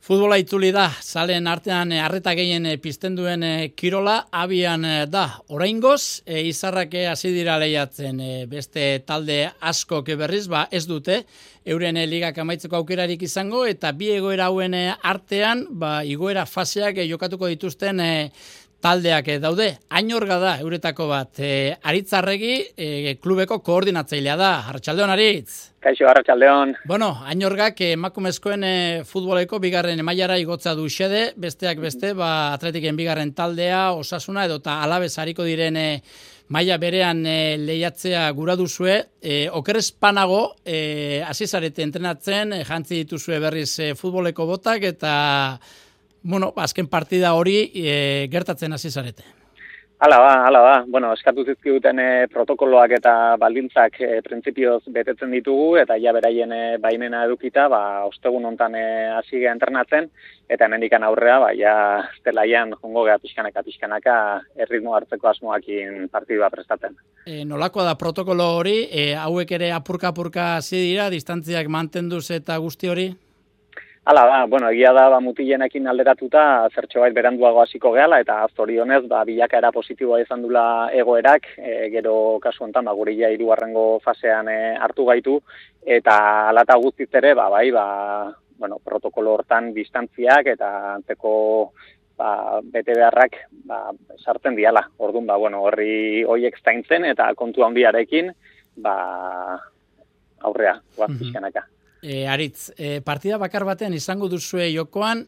Futbola itzuli da, zalen artean arreta gehien pizten duen kirola abian da. Oraingoz, izarrak hasi dira lehiatzen beste talde askok berriz, ez dute, euren ligak amaitzeko aukerarik izango, eta bi egoera hauen artean, igoera faseak jokatuko dituzten taldeak daude. Ainorga da, euretako bat. Aritzarregi klubeko koordinatzailea da. Arratsaldeon, Aritz. Kaixo, arratsaldeon. Bueno, Ainorgak emakumezkoen futboleko bigarren mailara igotza du xede, besteak beste, Atletiken bigarren taldea, Osasuna edota Alabez hariko diren maila berean lehiatzea gura duzue. Okerrez panago, hasi zarete entrenatzen, jantzi dituzue berriz futboleko botak eta azken partida hori gertatzen hasi zarete. Hala ba. Bueno, eskatu zizkiguten protokoloak eta baldintzak printzipioz betetzen ditugu eta ja beraien baimena edukita, ostegun hontan hasi gea entrenatzen eta hemendikan aurrea ja zelaian jongo gea pixkanaka erritmo hartzeko asmoakin partidua prestatzen. Nolakoa da protokolo hori, hauek ere apurka hasi dira, distantziak mantenduz eta guzti hori? Hala da, egia da mutilenekin alderatuta zertxobait beranduago hasiko gehala eta zorionez bilakaera positiboa izan dula egoerak, gero kasu honetan gure hirugarrengo fasean hartu gaitu eta hala eta guztiz ere protokolo hortan distantziak eta antzeko bete beharrak sartzen diala. Orduan horri hoiek zaintzen eta kontu handiarekin aurrea pixkanaka. Aritz, partida bakar batean izango duzue jokoan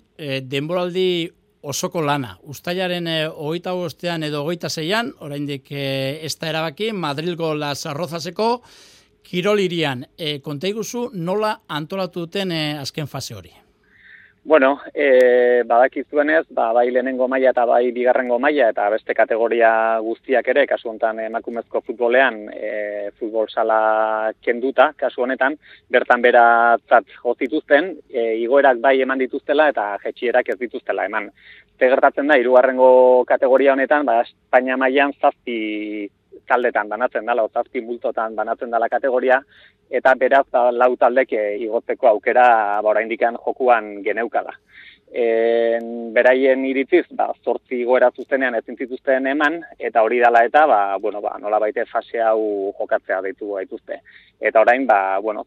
denboraldi osoko lana. Uztailaren 25ean edo 26ean, oraindik ez da erabaki, Madrilgo Las Rozaseko Kirol hirian. Konta iguzu nola antolatu duten azken fase hori? Badakizuenez, bai lehenengo maila eta bai bigarrengo maila eta beste kategoria guztiak ere, kasu honetan emakumezko futbolean, futbol sala kenduta, kasu honetan, bertan beratzat jozituzten, igoerak bai eman dituztela eta jetxierak ez dituztela eman. Gertatzen da, hirugarrengo kategoria honetan, Espainia mailan 7 taldetan banatzen dela, 7 multotan banatzen dela kategoria, eta beraz 4 taldek igotzeko aukera oraindikan jokuan geneukala. Beraien iritziz, 8 igoera zuzenean ezin zituzten eman, eta hori dela eta, nolabait fase hau jokatzea deitu gaituzte. Eta orain,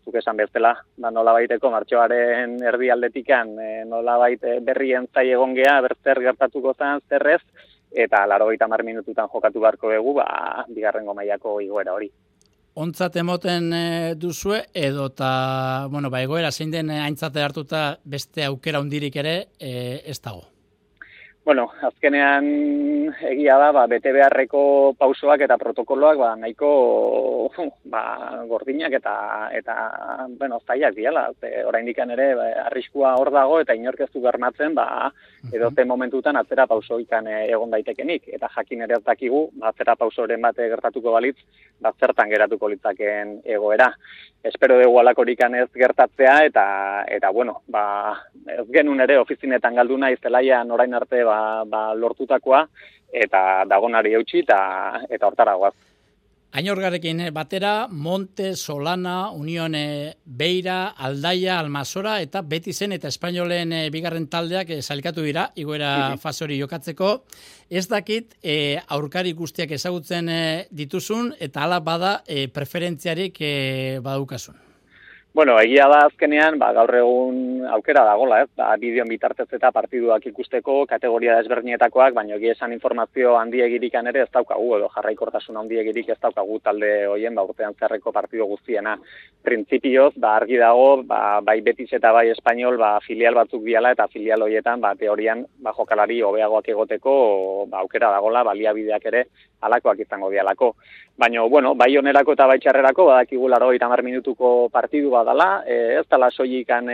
zuk esan bezala, nolabaiteko martxoaren erdialdetikan, nolabait berrien zai egon gea, berzer gertatuko zen zerrez, eta 80 minututan jokatu beharko dugu, bigarrengo mailako igoera hori. Ontzat emoten duzue, edota, egoera zein den aintzate hartuta beste aukera hundirik ere ez dago? Azkenean egia da, bete beharreko pausoak eta protokoloak nahiko gordinak eta zailak diala. Oraindikan ere arriskua hor dago eta inork ez du bermatzen edozein momentutan atzera pausoikan egon daitekenik. Eta jakin ere ez dakigu, atzera pausoren bat gertatuko balitz, zertan geratuko litzaken egoera. Espero dugu alakorikan ez gertatzea eta ez genuen ere ofizinetan galdu nahi zelaian orain arte lortutakoa eta dagonari eutxi eta hortaragoaz. Ainorgarekin batera, Monte, Solana, Unión Beira, Aldaia, Almasora eta Betizen eta Espainolen bigarren taldeak sailkatu dira, igoera fase hori jokatzeko. Ez dakit aurkari guztiak ezagutzen dituzun eta hala bada preferentziarik badaukasun. Egia da azkenean, gaur egun aukera dagola, bideon bitartez eta partiduak ikusteko, kategoria desberdinetakoak, baina egia esan informazio handiegirikan ere ez daukagu, edo jarraikortasun handiegirik ez daukagu talde hoien, urtean zerreko partidu guztiena. Printzipioz, argi dago, bai Betis eta bai Espainol, filial batzuk diala eta filial horietan, teorian, jokalari hobeagoak egoteko, aukera dagola, baliabideak ere halakoak izango dialako. Baina, bai onerako eta bai txarrerako, badakigu 80 minutuko partidu dala, ez dala soilikan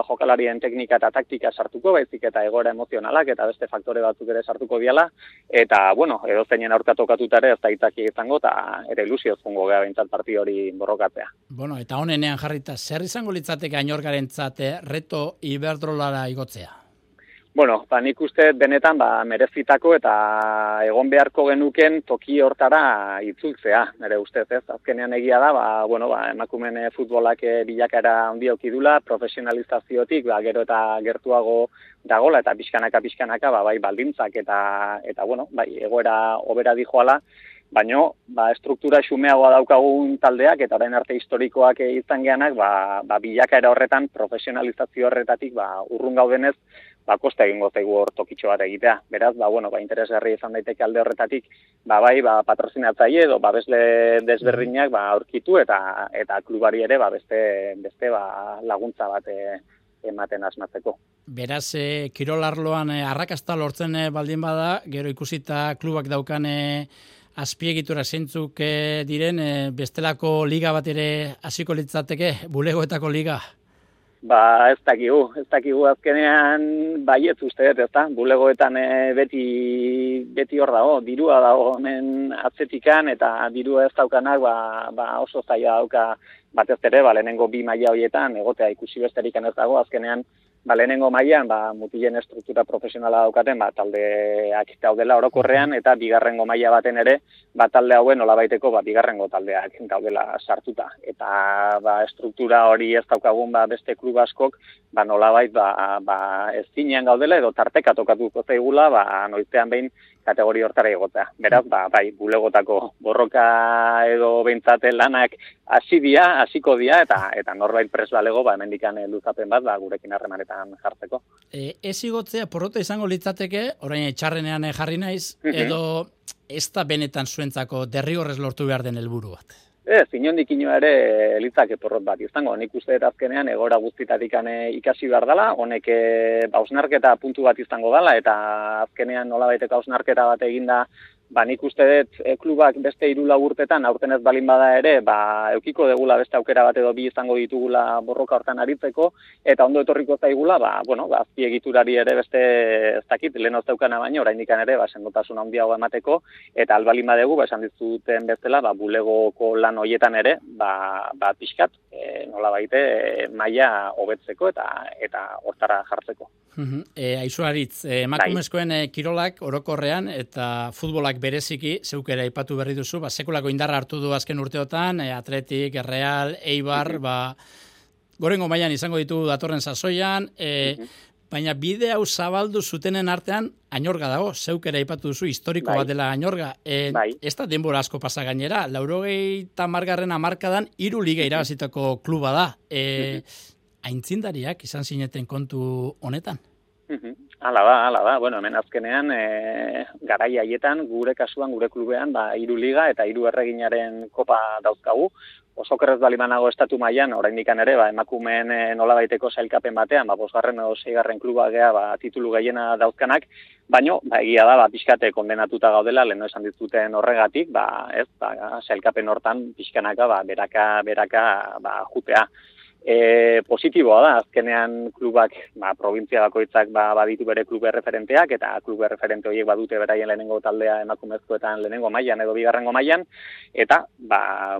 jokalarien teknika eta taktika sartuko, baizik eta egoera emozionalak eta beste faktore batzuk ere sartuko diala, eta, edozeinen aurka tokatuta ere ez da itzaki izango, eta ere ilusioz jungo gea behintzat partidu hori borrokatzea. Eta honenean jarrita, zer izango litzateke Ainorgarentzat reto Iberdrolara igotzea? Bueno, nik uste benetan merezitako eta egon beharko genuken toki hortara itzultzea, nire ustez, ez? Azkenean egia da, emakumeen futbolak bilakaera handi auki dula, profesionalizaziotik, gero eta gertuago dagola eta pixkanaka, bai baldintzak eta egoera hobera dijoala, baina estruktura xumeagoa daukagun taldeak eta orain arte historikoak izan geanak, bilakaera horretan, profesionalizazio horretatik urrun gaudenez, kosta egingo zaigu hor tokitxo bat egitea. Beraz, interesgarri izan daiteke alde horretatik, patrozinatzaile edo babesle desberdinak aurkitu eta klubari ere beste laguntza bat ematen asmatzeko. Beraz, kirolarloan arrakasta lortzen baldin bada, gero ikusita klubak daukan azpiegitura zeintzuk diren, bestelako liga bat ere hasiko litzateke, bulegoetako liga? Ez dakigu azkenean baietz uste dut, ezta? Bulegoetan beti hor dago, dirua dago hemen atzetikan eta dirua ez daukanak oso zaila dauka batez ere, lehenengo 2 maila horietan egotea ikusi besterikan ez dago, azkenean lehenengo mailan mutilen estruktura profesionala daukaten taldeak daudela orokorrean eta bigarrengo maila baten ere talde hauen nolabaiteko bigarrengo taldeak daudela sartuta eta estruktura hori ez daukagun beste klub askok nolabait ez zinean gaudela edo tarteka tokatuko zaigula noizean behin kategoria hortara egotea. Beraz, bulegotako borroka edo behintzat lanak hasiko dira eta norbait pres balego hemendikan luzapen bat gurekin harremanetan jartzeko. Ez igotzea porrota izango litzateke, orain txarrenean jarri naiz, edo ez da benetan zuentzako derrigorrez lortu behar den helburu bat? Inondik inoa ere litzake porrot bat izango. Nik uste dut azkenean egora guztitatik ikasi behar dela, honek hausnarketa puntu bat izango dela, eta azkenean nolabaiteko hausnarketa bat eginda, nik uste dut klubak beste 3 urtetan aurten ez balin bada ere, eukiko degula beste aukera bat edo 2 izango ditugula borroka hortan aritzeko, eta ondo etorriko zaigula, azpiegiturari ere beste ez dakit, lehen daukana baino, oraindik ere, sendotasun handiago emateko, eta albalin badegu, esan dizuten bezala, bulegoko lan hoietan ere, pixkat, nolabaite, maila hobetzeko eta hortara jartzeko. Aizu emakumezkoen kirolak orokorrean eta futbolak bereziki, zeuk ere aipatu berri duzu, sekulako indarra hartu du azken urteotan, Atletik, Real, Eibar, gorengo mailan izango ditugu datorren sasoian, baina bide hau zabaldu zutenen artean Añorga dago, zeuk ere aipatu duzu, historiko bat dela Añorga. Ez da denbora asko pasa gainera, 80. hamarkadan 3 liga irabazitako kluba da. Aintzindariak izan zineten kontu honetan? Hala da. Hemen azkenean, garai haietan, gure kasuan, gure klubean, 3 liga eta 3 erreginaren kopa dauzkagu. Oso kerrez balimanago estatu mailan, oraindikan ere, emakumeen nolabaiteko sailkapen batean, 5. edo 6. kluba gea, titulu gehiena dauzkanak, baino, egia da, pixkate kondenatuta gaudela, lehen esan dituten horregatik, sailkapen hortan pixkanaka, beraka, jutea. Positiboa da, azkenean klubak, provintzia bakoitzak baditu bere klube referenteak, eta klube referente horiek badute beraien lehenengo taldea emakumezkoetan lehenengo mailan edo bigarrengo mailan, eta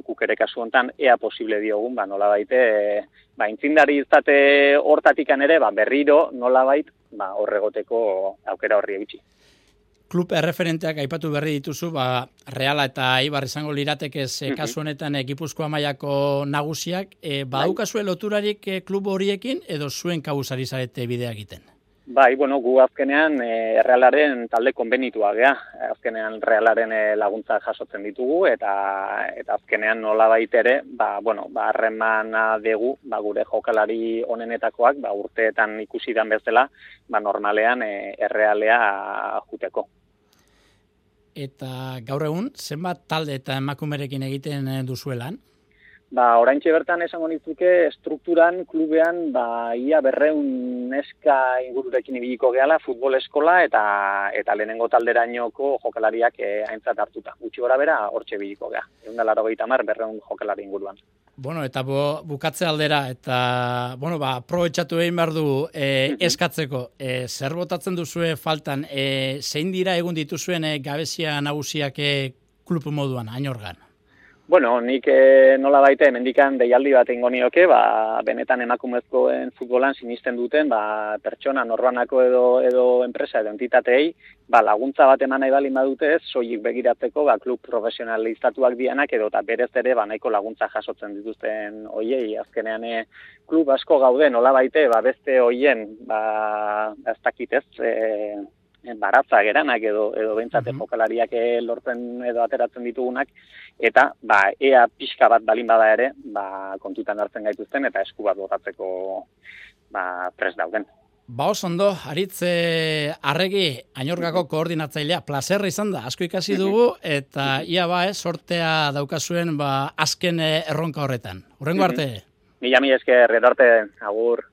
guk ere kasu hontan ea posible diogun, nolabait, intzindari izate hortatikan ere, berriro nolabait, horregoteko aukera horri egitsi. Klub erreferenteak aipatu berri dituzu, Reala eta Eibar izango liratekez kasu honetan Gipuzkoa mailako nagusiak, badukazue loturarik klub horiekin edo zuen kabuzari zarete bidea egiten? Gu azkenean Realaren talde konbenitua gea. Azkenean Realaren laguntza jasotzen ditugu eta azkenean nolabait ere, harremana dugu, gure jokalari onenetakoak, urteetan ikusi dan bezala, normalean Realea juteko. Eta gaur egun, zenbat talde eta emakumerekin egiten duzuelan? Oraintxe bertan esango nitzuke estrukturan, klubean, ia 200 neska ingururekin ibiliko gehala, futbol eskola eta lehenengo talderainoko jokalariak aintzat hartuta. Gutxi gora bera, hortxe ibiliko geha. 180, 200 jokalari inguruan. Eta bukatze aldera, eta, aprobetxatu egin behar du eskatzeko. Zer botatzen duzue faltan, zein dira egun dituzuen gabezia nagusiak klub moduan, Añorgan? Bueno, nik nola baite mendikan deialdi bat ingo nioke, benetan emakumezkoen futbolan sinisten duten, pertsona norbanako edo enpresa edo entitatei, laguntza bat eman nahi balin badute, soilik begiratzeko, klub profesionalizatuak dianak edo eta berez ere nahiko laguntza jasotzen dituzten hoiei, azkenean klub asko gaude nola baite, beste hoien, ez dakitez, baratza geranak edo behintzate jokalariak lortzen edo ateratzen ditugunak, eta ea pixka bat balin bada ere, kontutan hartzen gaituzten eta esku bat botatzeko prest dauden. Oso ondo, Aritz Arregi, Añorgako koordinatzailea, plazerra izan da, asko ikasi dugu, eta ia sortea daukazuen azken erronka horretan. Hurrengo arte. Mila esker, edarte, agur.